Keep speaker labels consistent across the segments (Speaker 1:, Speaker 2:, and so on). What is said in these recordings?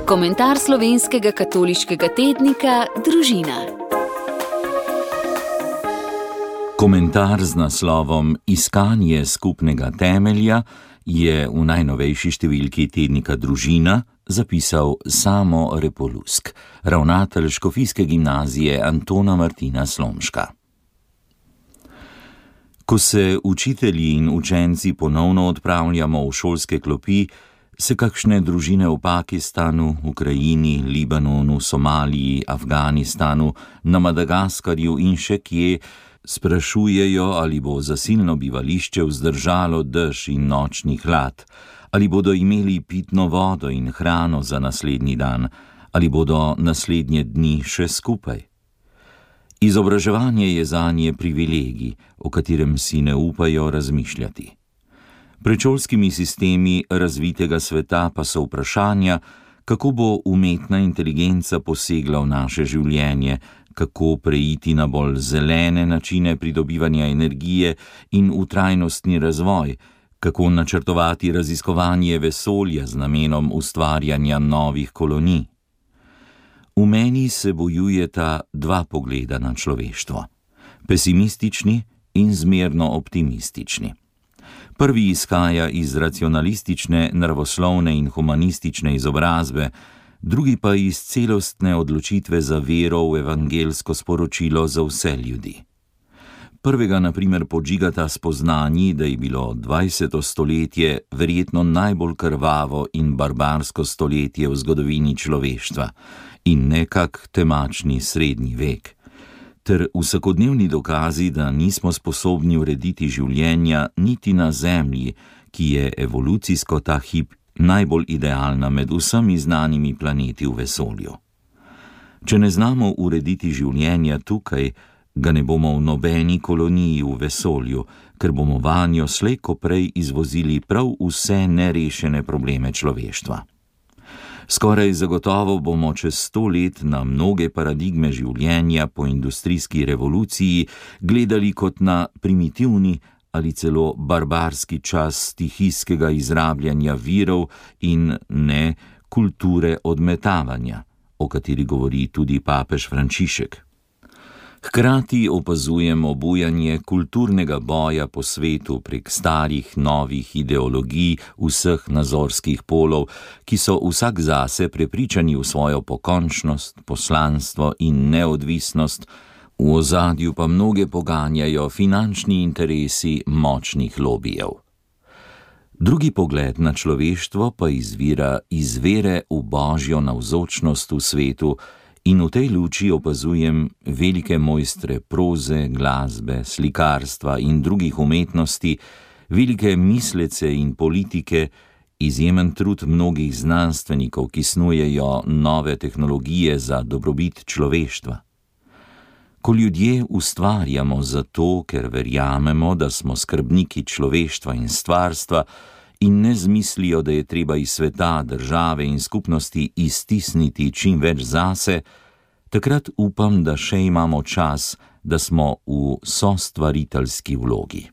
Speaker 1: Komentar slovenskega katoliškega tednika Družina.
Speaker 2: Komentar z naslovom Iskanje skupnega temelja je v najnovejši številki tednika Družina zapisal Samo Repolusk, ravnatelj škofijske gimnazije Antona Martina Slomška. Ko se učitelji in učenci ponovno odpravljamo v šolske klopi, se kakšne družine v Pakistanu, Ukrajini, Libanonu, Somaliji, Afganistanu, na Madagaskarju in še kje sprašujejo, ali bo zasilno bivališče vzdržalo dež in nočni hlad, ali bodo imeli pitno vodo in hrano za naslednji dan, ali bodo naslednje dni še skupaj. Izobraževanje je zanje privilegij, o katerem si ne upajo razmišljati. Pred šolskimi sistemi razvitega sveta pa so vprašanja, kako bo umetna inteligenca posegla v naše življenje, kako preiti na bolj zelene načine pridobivanja energije in v trajnostni razvoj, kako načrtovati raziskovanje vesolja z namenom ustvarjanja novih kolonij. V meni se bojujeta dva pogleda na človeštvo, pesimistični in zmerno optimistični. Prvi izhaja iz racionalistične, naravoslovne in humanistične izobrazbe, drugi pa iz celostne odločitve za vero v evangelsko sporočilo za vse ljudi. Prvega na primer podžigata spoznanji, da je bilo 20. stoletje verjetno najbolj krvavo in barbarsko stoletje v zgodovini človeštva in nekak temačni srednji vek, ter vsakodnevni dokazi, da nismo sposobni urediti življenja niti na Zemlji, ki je evolucijsko ta hip najbolj idealna med vsemi znanimi planeti v vesolju. Če ne znamo urediti življenja tukaj, ga ne bomo v nobeni koloniji v vesolju, ker bomo vanjo slej ko prej izvozili prav vse nerešene probleme človeštva. Skoraj zagotovo bomo čez 100 let na mnoge paradigme življenja po industrijski revoluciji gledali kot na primitivni ali celo barbarski čas stihijskega izrabljanja virov in ne kulture odmetavanja, o kateri govori tudi papež Frančišek. Hkrati opazujemo bujanje kulturnega boja po svetu prek starih, novih ideologij vseh nazorskih polov, ki so vsak zase prepričani v svojo pokončnost, poslanstvo in neodvisnost, v ozadju pa mnoge poganjajo finančni interesi močnih lobijev. Drugi pogled na človeštvo pa izvira iz vere v božjo navzočnost v svetu, in v tej luči opazujem velike mojstre proze, glasbe, slikarstva in drugih umetnosti, velike mislece in politike, izjemen trud mnogih znanstvenikov, ki snujejo nove tehnologije za dobrobit človeštva. Ko ljudje ustvarjamo zato, ker verjamemo, da smo skrbniki človeštva in stvarstva, in ne zmislijo, da je treba iz sveta, države in skupnosti iztisniti čim več zase, takrat upam, da še imamo čas, da smo v sostvariteljski vlogi.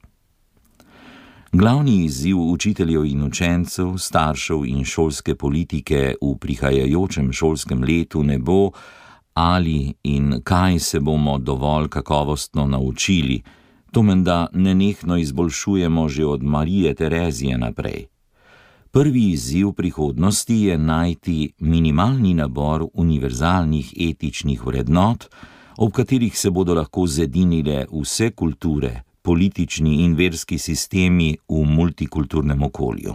Speaker 2: Glavni izziv učiteljev in učencev, staršev in šolske politike v prihajajočem šolskem letu ne bo, ali in kaj se bomo dovolj kakovostno naučili. To menda nenehno izboljšujemo že od Marije Terezije naprej. Prvi izziv prihodnosti je najti minimalni nabor univerzalnih etičnih vrednot, ob katerih se bodo lahko zedinile vse kulture, politični in verski sistemi v multikulturnem okolju.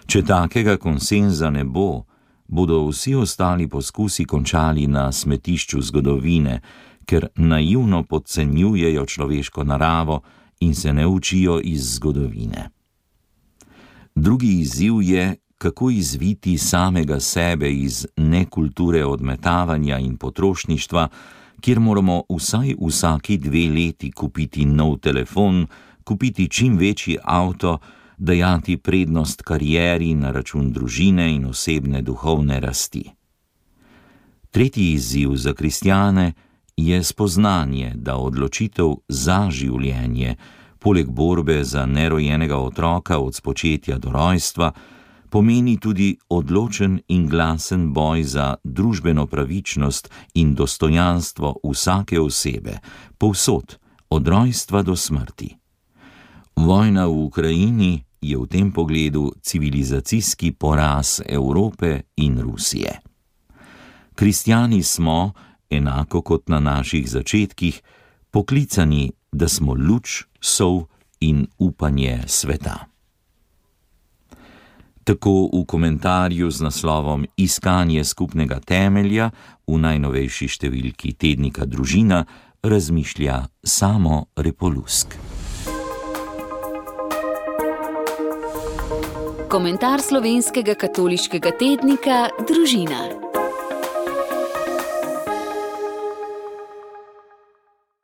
Speaker 2: Če takega konsenza ne bo, bodo vsi ostali poskusi končali na smetišču zgodovine, ker naivno podcenjujejo človeško naravo in se ne učijo iz zgodovine. Drugi izziv je, kako izviti samega sebe iz nekulture odmetavanja in potrošništva, kjer moramo vsaj vsaki 2 leti kupiti nov telefon, kupiti čim večji avto, dajati prednost karieri na račun družine in osebne duhovne rasti. Tretji izziv za kristjane je spoznanje, da odločitev za življenje, poleg borbe za nerojenega otroka od spočetja do rojstva, Pomeni tudi odločen in glasen boj za družbeno pravičnost in dostojanstvo vsake osebe, povsod, od rojstva do smrti. Vojna v Ukrajini je v tem pogledu civilizacijski poraz Evrope in Rusije. Kristjani smo, enako kot na naših začetkih, poklicani, da smo luč, sol in upanje sveta. Tako v komentarju z naslovom Iskanje skupnega temelja v najnovejši številki tednika Družina razmišlja Samo Repolusk.
Speaker 1: Komentar slovenskega katoliškega tednika Družina.